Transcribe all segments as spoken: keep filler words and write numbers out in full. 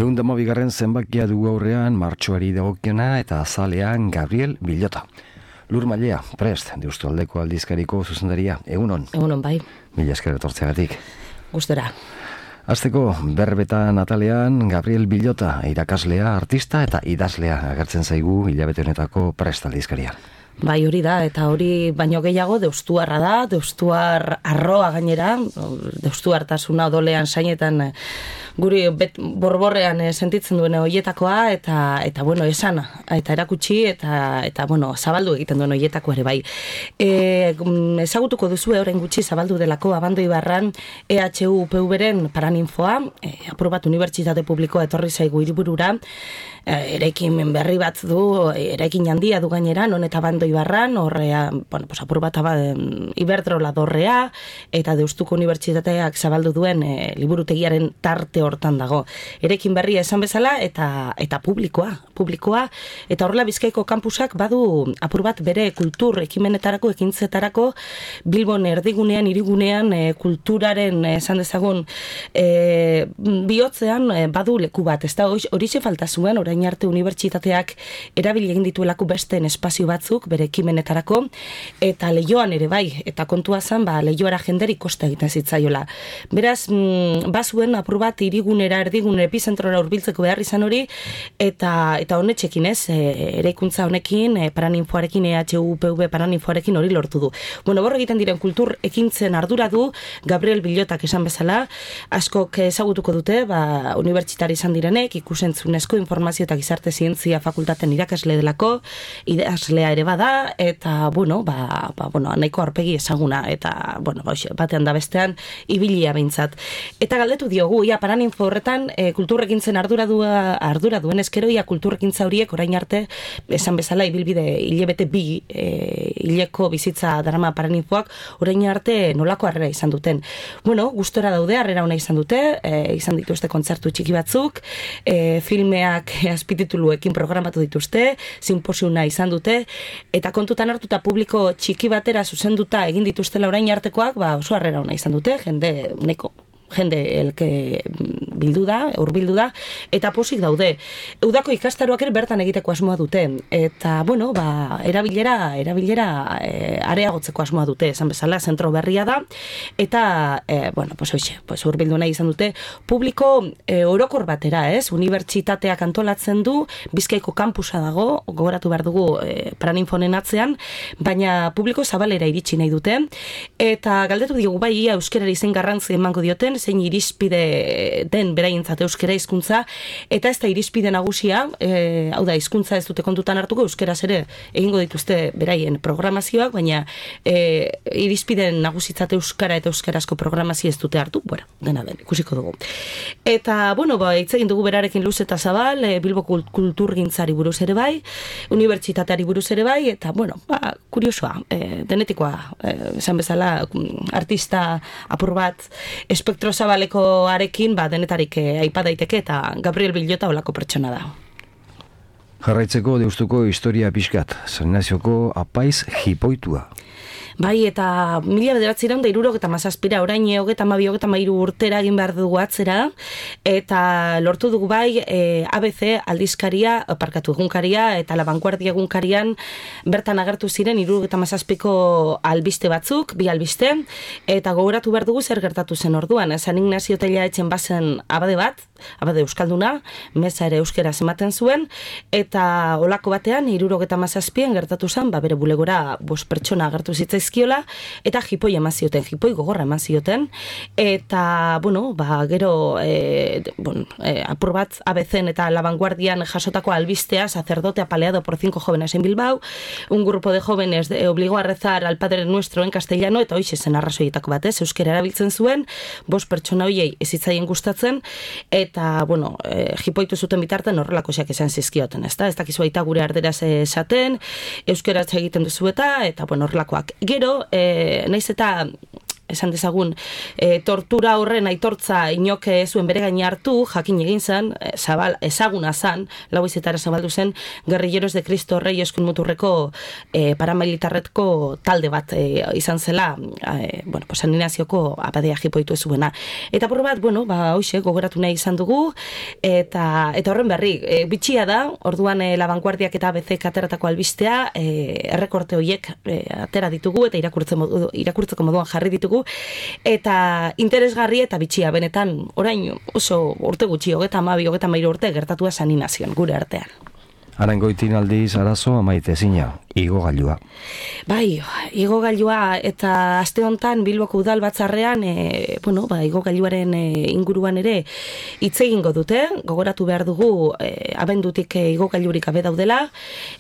Ehun da hamabigarren zenbakia dugu aurrean martxoari dagokiona eta azalean Gabriel Villota. Lur Mailea, prest, Deustualdeko aldizkariko zuzendaria. Egunon. Egunon, bai. Mila esker etortzeagatik. Gustora. Hasteko, berbetan atalean Gabriel Villota, irakaslea, artista eta idazlea agertzen zaigu hilabete honetako prest aldizkaria. Bai, hori da, eta hori baino gehiago deustuarra da, deustuar arroa gainera, deustuartasuna odolean sainetan guri bet, borborrean e, sentitzen duen hoietakoa, eta eta bueno, esan, eta erakutsi, eta eta bueno, zabaldu egiten duen hoietako ere bai. E, ezagutuko duzu orain gutxi zabaldu delako Abando Ibarran E H U P V-ren paraninfoa, e, apur bat unibertsitate publikoa etorri zaigu hiriburura, e, eraikin berri bat du, eraikin handia du gainera, non eta Abando Ibarran, horrea, bueno, pues apur bat aba, Iberdrola dorrea, eta Deustuko Unibertsitateak zabaldu duen e, liburutegiaren tarte hortan dago. Erekin berria esan bezala eta eta publikoa, publikoa eta horrela Bizkaiko kampusak badu apur bat bere kultur ekimenetarako, ekintzetarako Bilbon erdigunean, hirigunean e, kulturaren esan dezagun e, bihotzean e, badu leku bat. Ez da horixe falta zuen orain arte unibertsitateak erabili egin dituelako besteen espazio batzuk bere ekimenetarako eta Leioan ere bai, eta kontua zen ba Leioara jenderi kosta egiten zitzaiola. Beraz, mm, bazuen apur bat hirigunera, erdigune, epizentrora hurbiltzeko behar izan hori, eta eta honetxekin ez, e, eraikuntza honekin, e, paraninfoarekin, E H U P V paraninfoarekin hori lortu du. Bueno, borre egiten diren kultur ekintzen ardura du, Gabriel Villotak esan bezala, askok ezagutuko dute, ba, unibertsitari izan direnek, ikusentzunezko informazio eta gizarte zientzia fakultaten irakasle delako, idazlea ere bada, eta, bueno, ba, ba, bueno, nahiko aurpegi ezaguna, eta, bueno, ba, batean da bestean, ibilia behintzat. Eta galdetu diogu, ia paraninfo horretan e, kulturrekintzen ardura, du, ardura duen eskero, ia kulturrekintza horiek orain arte, esan bezala, ibilbide hilebete bi e, hileko bizitza darama paraninfoak, orain arte nolako harrera izan duten. Bueno, gustora daude, harrera ona izan dute, e, izan dituzte kontzertu txiki batzuk, e, filmeak azpitituluekin programatu dituzte, sinposiuna izan dute, eta kontutan hartuta publiko txiki batera zuzenduta egin dituztela orain artekoak, ba, oso harrera ona izan dute, jende neko jende elke bildu da, hurbildu da, eta posik daude. Udako ikastaroak ere bertan egiteko asmoa dute, eta, bueno, ba, erabilera, erabilera e, areagotzeko asmoa dute, esan bezala, zentro berria da, eta, e, bueno, pues hoxe, pues hurbildu nahi izan dute, publiko e, orokor batera, ez, unibertsitateak antolatzen du, Bizkaiko kampusa dago, gogoratu behar dugu e, paraninfonen atzean, baina publiko zabalera iritsi nahi dute, eta galdetu diogu bai, ia euskerara izen garrantzi emango dioten, zein irizpide den beraientzat euskera hizkuntza, eta ez da irizpide nagusia, e, hau da, hizkuntza ez dute kontutan hartuko, euskeraz ere egingo dituzte beraien programazioak, baina e, irizpide nagusitzat euskara eta euskarazko programazio ez dute hartu, bueno, dena den, ikusiko dugu. Eta, bueno, ba, hitz egin dugu berarekin luz eta zabal, e, Bilbo kulturgintzari buruz ere bai, unibertsitateari buruz ere bai, eta, bueno, ba, kuriosoa, e, denetikoa, e, esan bezala, artista apur bat, espektro zabaleko arekin, ba, denetarik eh, aipa daiteke, eta Gabriel Villota olako pertsona da. Jarraitzeko Deustuko historia pixkat, San Ignazioko apaiz jipoitua. Bai, eta mila bederatzireun da irurok eta mazazpira, orain hogeta mabi, hogeta mairu urtera egin behar dugu atzera, eta lortu dugu bai e, A B C aldizkaria, parkatu egunkaria, eta La Vanguardia egunkarian bertan agertu ziren irurok eta mazazpiko albiste batzuk, bi albiste, eta gogoratu behar dugu zer gertatu zen orduan. San Ignazio Tella etxen bazen abade bat, abade euskalduna, meza ere euskera ematen zuen, eta olako batean irurok eta mazazpien gertatu zen, ba, bere bulegora bost pertsona agertu zitzaiz zizkiola, eta jipoi eman zioten, jipoi gogorra eman zioten, eta, bueno, ba, gero, e, bon, e, apur bat A B C-en eta La Vanguardian jasotako albistea, sacerdote apaleado por cinco jóvenes en Bilbao, un grupo de jóvenes de, obligó a rezar al Padre Nuestro en castellano, eta hoxe zen arrazoietako batez, euskera erabiltzen zuen, bost pertsona hoiei ezitzaien gustatzen, eta, bueno, e, jipoitu zuten bitarten horrelako xak esan zizkioten, ez da? Ez dakizu aita gure arderaz esaten, euskera egiten duzu eta, eta, bueno, horrelakoak. Gero, e, naiz eta esan dezagun, e, tortura horren aitortza inoke zuen bere gaine hartu, jakin egin zen, e, zabal, ezaguna zen, lau izetara zabaldu zen, Guerrilleros de Cristo Rey eskun muturreko e, paramilitarretko talde bat e, izan zela, e, bueno, pues, animazioko abadea jipoitu zuena. Eta por bat, bueno, ba, hoxe, gogoratu nahi izan dugu, eta, eta horren berri, e, bitxia da, orduan e, La Vanguardiak eta A B C ateratako albistea, e, errekorte horiek e, atera ditugu, eta irakurtze modu, irakurtzeko moduan jarri ditugu, eta interesgarri eta bitxia, benetan, orain oso urte gutxi, hogeta amabi, hogeta amairu urte gertatua Saninazion, gure artean. Arangoitin aldiz arazo amaite zina, igogailua. Bai, igogailua eta aste hontan Bilboko udal batzarrean, e, bueno, ba, igogailuaren e, inguruan ere hitz egingo dute, gogoratu behar dugu e, abendutik e, igogailurik gabe daudela,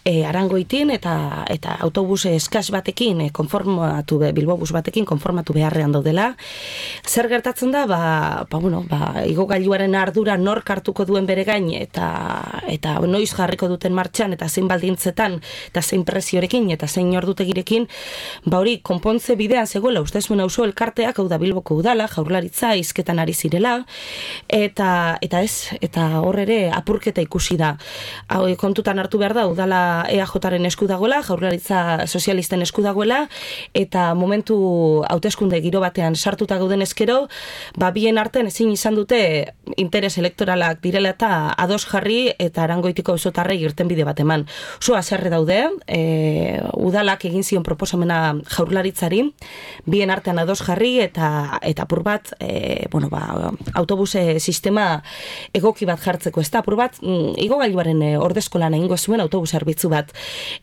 e, Arangoitin eta eta autobus eskas batekin e, konformatu be, Bilbobus batekin konformatu beharrean daudela. Zer gertatzen da, ba, ba bueno, ba, igogailuaren ardura nork hartuko duen bere gain eta eta noiz jarriko duten martxan eta zein baldintzetan eta zein presiorekin eta zein ordutegirekin, ba hori konpontze bidean zegoela uste zuen auzo elkarteak, hau da Bilboko udala, Jaurlaritza hizketan ari zirela, eta eta ez, eta hor ere apurketa ikusi da. Hau kontutan hartu behar da, udala E A Jaren esku dagoela, Jaurlaritza sozialisten esku dagoela, eta momentu hauteskunde giro batean sartuta gauden ezkero, ba bien artean ezin izan dute interes elektoralak direla eta ados jarri eta Arangoitiko auzotarrei irtenbide bat eman. Oso haserre daude, e, udalak egin zion proposamena Jaurlaritzari, bien artean ados jarri eta eta apur bat, e, bueno, ba, autobuse sistema egoki bat jartzeko, ez da, apur bat, mm, igogailuaren e, ordezkolan egingo zuen autobus zerbitzu bat.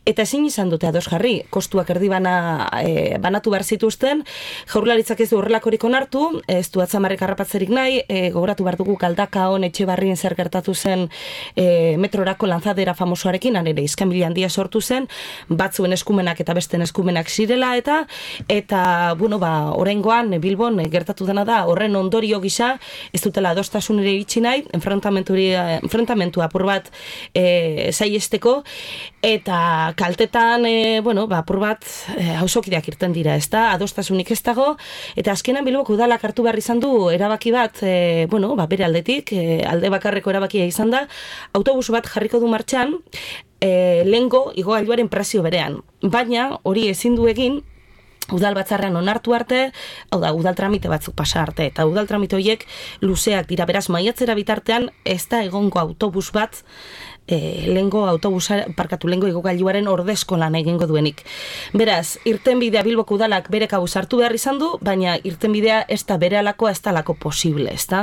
Eta ezin izan dute ados jarri, kostuak erdi bana, e, banatu behar zituzten, Jaurlaritzak ez du horrelakorik onartu, ez du atzamarrek harrapatzerik nahi, e, gogoratu behar dugu Galdakaon Etxebarrien zer gertatu zen e, metrorako lanzadera famosoarekin, ere iskanbila handia sortu zen, batzuen eskumenak eta besten eskumenak zirela, eta eta, bueno, ba, oraingoan Bilbon gertatu dena da, horren ondorio gisa, ez dutela adostasunera iritsi nahi, enfrentamentu apur bat e, saiesteko, eta kaltetan, e, bueno, ba, apur bat e, hausokideak irten dira, ez da, adostasunik ez dago, eta azkenan Bilboko udalak hartu behar izan du erabaki bat, e, bueno, ba, bere aldetik, e, alde bakarreko erabakia izan da, autobus bat jarriko du martxan, e, lehengo igogailuaren prezio berean. Baina, hori ezin du egin, udal batzarrean onartu arte, hau da, udal tramite batzuk pasa arte, eta udal tramite horiek luzeak dira, beraz, maiatzera bitartean ez da egongo autobus bat, E, lengo autobusa, parkatu lengo igogailuaren ordezko lan egingo duenik. Beraz, irtenbidea Bilboko udalak bere kabuz hartu behar izan du, baina irtenbidea ez da bere alakoa, ez da alako posible, ez da?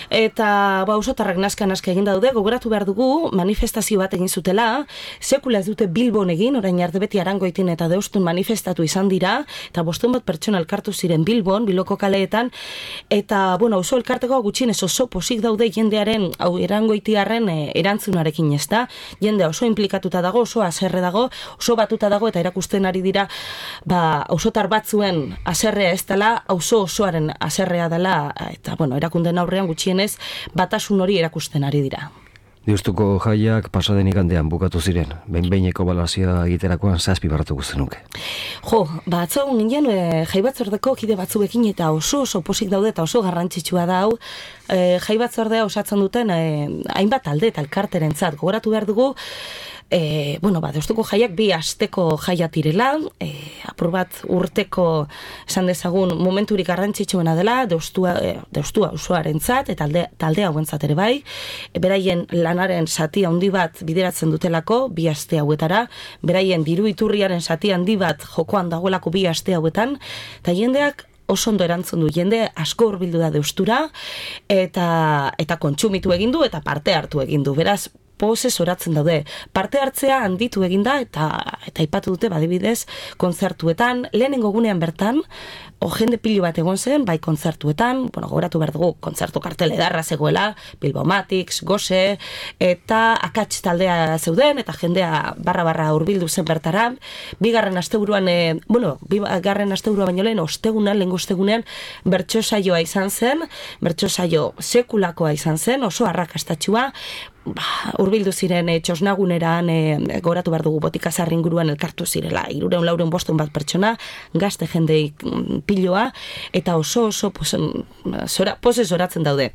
Eta, ba, auzotarrak naska-naska egin daude, gogoratu behar dugu, manifestazio bat egin zutela, sekula ez dute Bilbon egin, orain arte beti Arangoitin eta Deustun manifestatu izan dira, eta bostun bat pertsona elkartu ziren Bilbon, Bilboko kaleetan, eta, bueno, auzo elkarteko gutxienez oso posik daude jendearen, hau Arangoitiarren e, erantzunarekin, ez da, jende oso implikatuta dago, oso haserre dago, oso batuta dago, eta erakusten ari dira, ba, auzotar batzuen haserrea ez dela, auzo osoaren haserrea dela, eta, bueno, erakunden aurrean gutxienez, batasun hori erakusten ari dira. Deustuko jaiak pasaden igandean bukatu ziren, behin-behineko balazioa egiterakoan zazpi baratuko zenuke. Jo, ba, atzo ginen e, jai batzordeko kide batzuekin eta oso oso posik daude eta oso garrantzitsua da hau, e, jai batzordea osatzen duten e, hainbat alde eta elkarterentzat, gogoratu behar dugu, E, bueno, ba, Deustuko jaiak bi asteko jaia direla, e, apur bat urteko esan dezagun momenturik garrantzitsuena dela, Deustua, e, Deustua usuarentzat eta talde, talde hauentzat ere bai, e, beraien lanaren zati handi bat bideratzen dutelako bi aste hauetara, beraien diru iturriaren zati handi bat jokoan dagoelako bi aste hauetan, eta jendeak oso ondo erantzun du, jende asko hurbildu da Deustura, eta, eta kontsumitu egin du eta parte hartu egin du, beraz, pozez oratzen daude. Parte hartzea handitu eginda eta eta aipatu dute badibidez kontzertuetan, lehenengo gunean bertan, o jende pilo bat egon zen, bai kontzertuetan, bueno, gogoratu behar dugu, kontzertu kartel edarra zegoela, Bilbomatics, Gose, eta akats taldea zeuden, eta jendea barra-barra hurbildu zen bertara, bigarren asteburuan, e, bueno, bigarren asteburua baino lehen, ostegunan, lehengo ostegunean, bertso saioa izan zen, bertso saio sekulakoa izan zen, oso arrakastatxua, ba, urbildu ziren e, txosnaguneran, e, goratu behar dugu botikazarri inguruan elkartu zirela, irureun laureun bostun bat pertsona, gazte jendeik piloa, eta oso oso pose, zora, pose zoratzen daude.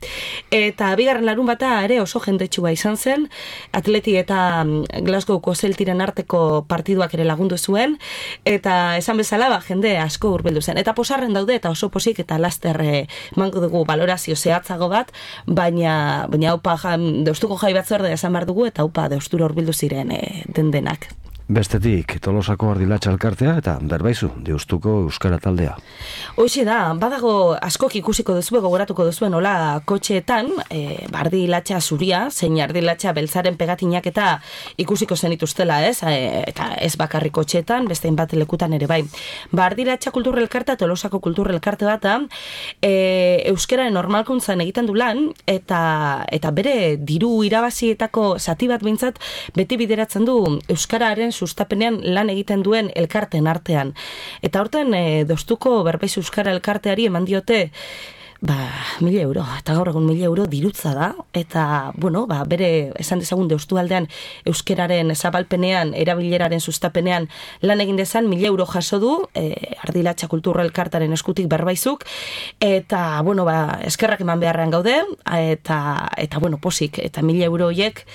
Eta bigarren larun bata ere oso jendetsua izan zen, Atleti eta Glasgowko Celtiren arteko partiduak ere lagundu zuen, eta esan bezala ba, jende asko hurbildu zen. Eta posarren daude, eta oso posik eta laster e, mango dugu valorazio zehatzago bat, baina, baina haupa deustuko jai batzordea esan behar dugu, eta haupa deustura hurbildu ziren e, den denak. Bestetik, Tolosako Ardilatxa elkartea eta Berbaizu, Deustuko Euskara taldea. Hoxe da, badago askok ikusiko duzue, gogoratuko duzuen hola kotxeetan, e, Ardilatxa zuria, zein Ardilatxa beltzaren pegatinak eta ikusiko zenituztela, ez? E, eta ez bakarrik kotxeetan, beste bat lekutan ere bai. Ba, Ardilatxa kulturre elkartea, Tolosako kulturre elkarte bat da, e, euskararen normalkuntzan egiten du lan, eta, eta bere diru irabazietako zati bat behintzat beti bideratzen du euskararen sustapenean lan egiten duen elkarten artean. Eta horten e, Deustuko Berbaizu Euskara elkarteari eman diote ba, mila euro, eta gaur egun mila euro dirutza da, eta, bueno, ba, bere, esan dezagun Deustu aldean euskeraren zabalpenean, erabileraren sustapenean lan egin dezan, mila euro jaso du, e, Ardilatxa kulturra elkartaren eskutik Berbaizuk, eta, bueno, ba, eskerrak eman beharrean gaude, eta, eta bueno, posik, eta mila euro horiek,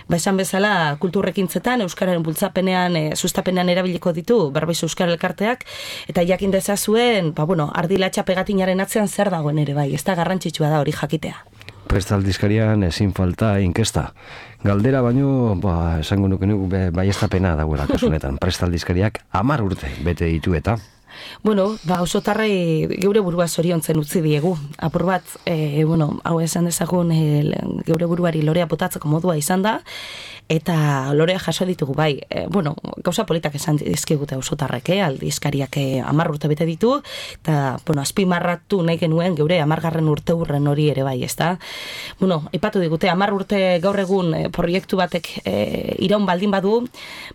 ba, esan bezala, kulturrekintzetan, euskararen bultzapenean, e, sustapenean erabiliko ditu Berbaizu Euskara elkarteak, eta jakin dezazuen, ba, bueno, Ardilatxa pegatinaren atzean zer dagoen ere, bai, ez da garrantzitsua da hori jakitea. Prestaldizkarian ezin falta inkesta. Galdera baino, ba, esango nuke nuke baiestapena dagoela kasunetan. Prestaldizkariak hamar urte bete ditu eta... Bueno, ba, osotarrei geure burua zoriontzen utzi diegu. Apur bat, e, bueno, hau esan dezagun e, geure buruari lorea botatzeko modua izan da, eta lorea jaso ditugu bai. E, bueno, gauza politak esan dizkigute osotarrek, eh? Aldizkariak hamar urte bete ditu, eta, bueno, azpimarratu nahi genuen geure hamargarren urte urren hori ere bai, ezta? Bueno, ipatu digute, hamar urte gaur egun e, proiektu batek e, iraun baldin badu,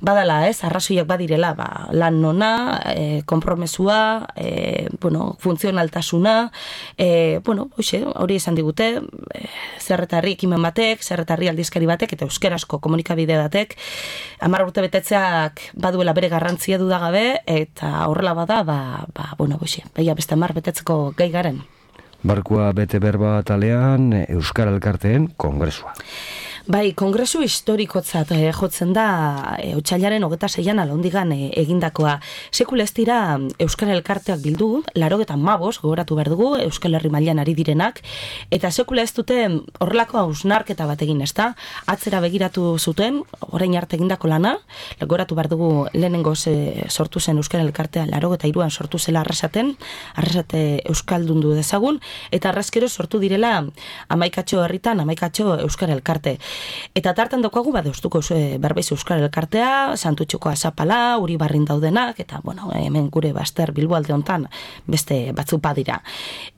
badala, ez, arrazoiak badirela, ba, lan nona, e, kompromesu E, bueno, funtzionaltasuna, e, bueno, hoxe, hori esan digute, e, zerretarri ekimen batek, zerretarri aldizkari batek, eta euskerazko komunikabide batek, hamar urte betetzeak baduela bere garrantzia dudagabe, eta horrela bada, ba, ba bueno, hoxe, baina beste hamar betetzeko gai garen. Barkua bete berba talean Euskara elkarteen kongresua. Bai, kongresu historikotzat eh, jotzen da eh, otsailaren hogeta seian alondigan eh, egindakoa. Sekula ez dira Euskal Elkarteak bildu, larogetan mabos, gogoratu behar dugu, Euskal Herri mailan ari direnak, eta sekula ez dute horrelako hausnarketa bat egin, ezta? Atzera begiratu zuten, orain arte egindako lana, gogoratu behar dugu lehenengoz eh, sortu zen Euskal Elkartea, larogeta iruan sortu zela arrasaten, arrasate Euskaldundu dezagun, eta arrazkero sortu direla amaikatxo herritan, amaikatxo Euskal Elkarte. Eta tartan daukagu ba Deustuko e, Berbaizu Euskara elkartea, Santutxuko Azapala, Uribarrin daudenak, eta bueno, hemen gure Baster Bilbo alde hontan beste batzu badira.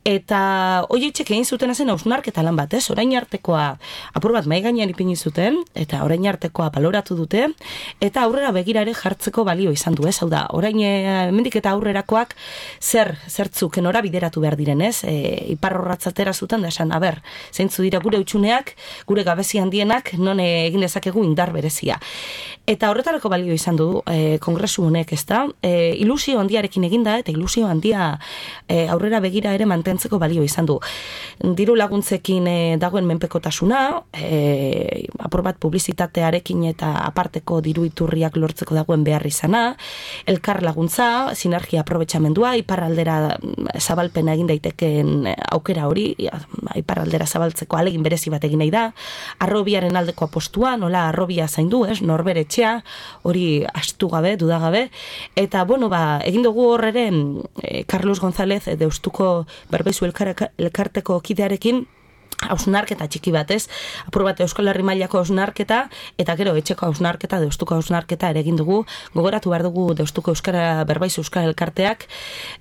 Eta horietxek egin zuten zen hausnarketa lan bat, ez? Orain artekoa apur bat mahai gainean ipini zuten, eta orain artekoa baloratu dute, eta aurrera begira ere jartzeko balio izan du, ez? Hau da, orain hemendik eta aurrerakoak zer, zertzuk enora bideratu behar diren, ez? E, iparrorratzatera zuten da esan, aber, zeintzu dira gure utxuneak, gure gabezi handien non egin dezakegu indar berezia. Eta horretarako balio izan du e, kongresu honek, ezta? E, ilusio handiarekin eginda eta ilusio handia e, aurrera begira ere mantentzeko balio izan du. Diru laguntzekin e, dagoen menpekotasuna, e, apur bat publizitatearekin eta aparteko diru iturriak lortzeko dagoen behar izana, elkar laguntza, sinergia aprobetxamendua, iparraldera zabalpena egin daiteken aukera hori, iparraldera zabaltzeko alegin berezi bat egin nahi da, arrobia aldeko apostua, nola arrobia zaindu, ez, norbere etxea, hori astu gabe, dudagabe, eta, bueno, ba, egin dugu horre eh, Carlos González, eh, Deustuko Berbaizu elkarteko kidearekin, hausnarketa txiki batez, apur bat Euskal Herri mailako hausnarketa, eta gero etxeko hausnarketa, Deustuko hausnarketa ere egin dugu, gogoratu behar dugu Deustuko Euskara Berbaizu Euskara elkarteak,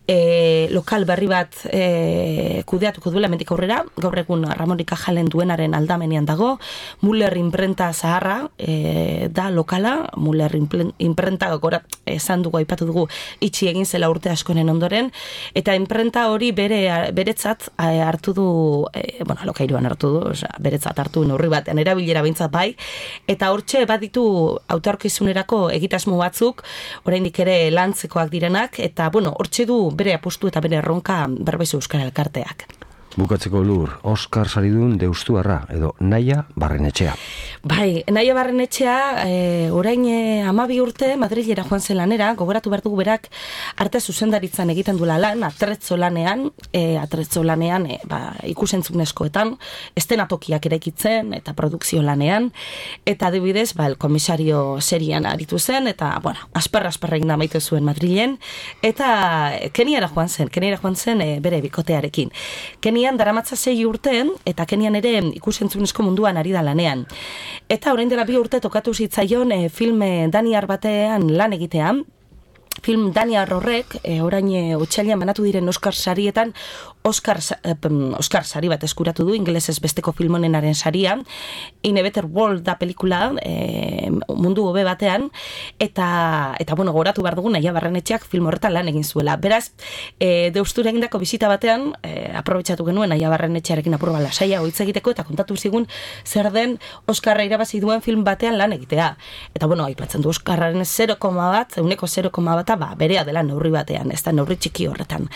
e, lokal berri bat e, kudeatuko duela hemendik aurrera, gaur egun Ramon Ikajalen duenaren aldamenean dago, Muller imprenta zaharra e, da lokala, Muller imprenta gora esan dugu, aipatu dugu, itxi egin zela urte askoren ondoren, eta imprenta hori bere beretzat hartu du, e, bueno, lokai seiruan hartu du, osea, beretzat hartu neurri batean erabilera behintzat bai, eta hortxe baditu autorkizunerako egitasmo batzuk, oraindik ere lantzekoak direnak, eta bueno, hortxe du bere apustu eta bere erronka Berbaizu Euskara Elkarteak. Bukatzeko Lur, Oskar saridun deustuarra, edo Naia Barrenetxea. Bai, Naia Barrenetxea, e, orain e, amabi urte Madrilera joan zen lanera, gogoratu behar dugu berak arte zuzendaritzan egiten duela lan, atrezzo lanean, e, atrezzo lanean, e, ba, ikusentzunezkoetan, estenatokiak eraikitzen, eta produkzio lanean, eta adibidez, ba, el komisario serian aritu zen, eta, bueno, asperra-asperra egin da maite zuen Madrilen, eta Keniara joan zen, Keniara joan zen e, bere bikotearekin. Kenian daramatza sei urteen, eta Kenian ere ikusentzunezko munduan ari da lanean. Eta orain dela bi urte tokatu zitzaion e, film daniar batean lan egitean, film daniar horrek, e, orain e, otsailean banatu diren Oscar sarietan, Oscar, eh, Oscar sari bat eskuratu du, ingelesez besteko film honenaren saria, In a Better World da pelikula, e, mundu hobe batean, eta, eta bueno, goratu behar dugu, Naia Barrenetxeak film horretan lan egin zuela. Beraz, e, deustura egindako bizita batean, e, aprobetxatu genuen Naia Barrenetxearekin apur bala saia hitz egiteko, eta kontatu zigun zer den Oskarra irabazi duen film batean lan egitea. Eta bueno, aipatzen du Oskarraren zero koma bat, euneko zero koma bat, ba, berea dela neurri batean, ez da neurri txiki horretan.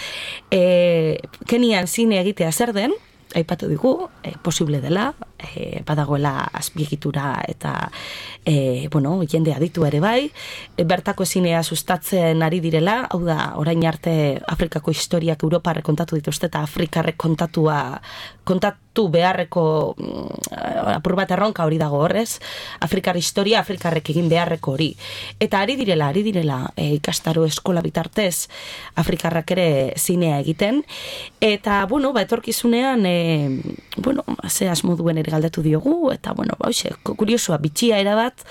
E, Kenian zine egitea zer den, aipatu digu, e, posible dela, e, badagoela azpiegitura eta e, bueno, jende aditu ere bai, e, bertako zinea sustatzen ari direla, hau da, orain arte Afrikako historiak Europarrek kontatu dituzte eta Afrikarrek kontatua kontatu beharreko mm, apur bat erronka hori dago horrez, Afrikar historia Afrikarrek egin beharreko hori. Eta ari direla, ari direla e, ikastaro eskola bitartez Afrikarrak ere zinea egiten, eta bueno, ba, etorkizunean e, bueno, ze asmo duen ere galdetu diogu, eta bueno, ba, hoxe, kuriosoa, bitxia erabat,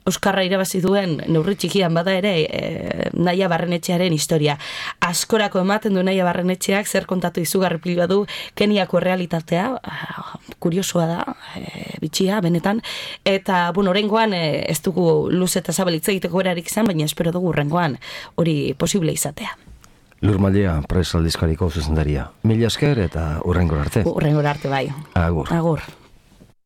Euskarra irabazi duen neurri txikian bada ere e, Naia Barrenetxearen historia. Askorako ematen du Naia Barrenetxeak zer kontatu izugarri pila du Keniako realitatea, kuriosoa da, e, bitxia, benetan, eta, bueno, horrengoan e, ez dugu luz eta zabal hitz egiteko berarik izan, baina espero dugu horrengoan hori posible izatea. Lur Mallea, Press aldizkariko zuzendaria. Mila esker eta hurrengora arte. Hurrengora arte bai. Agur. Agur.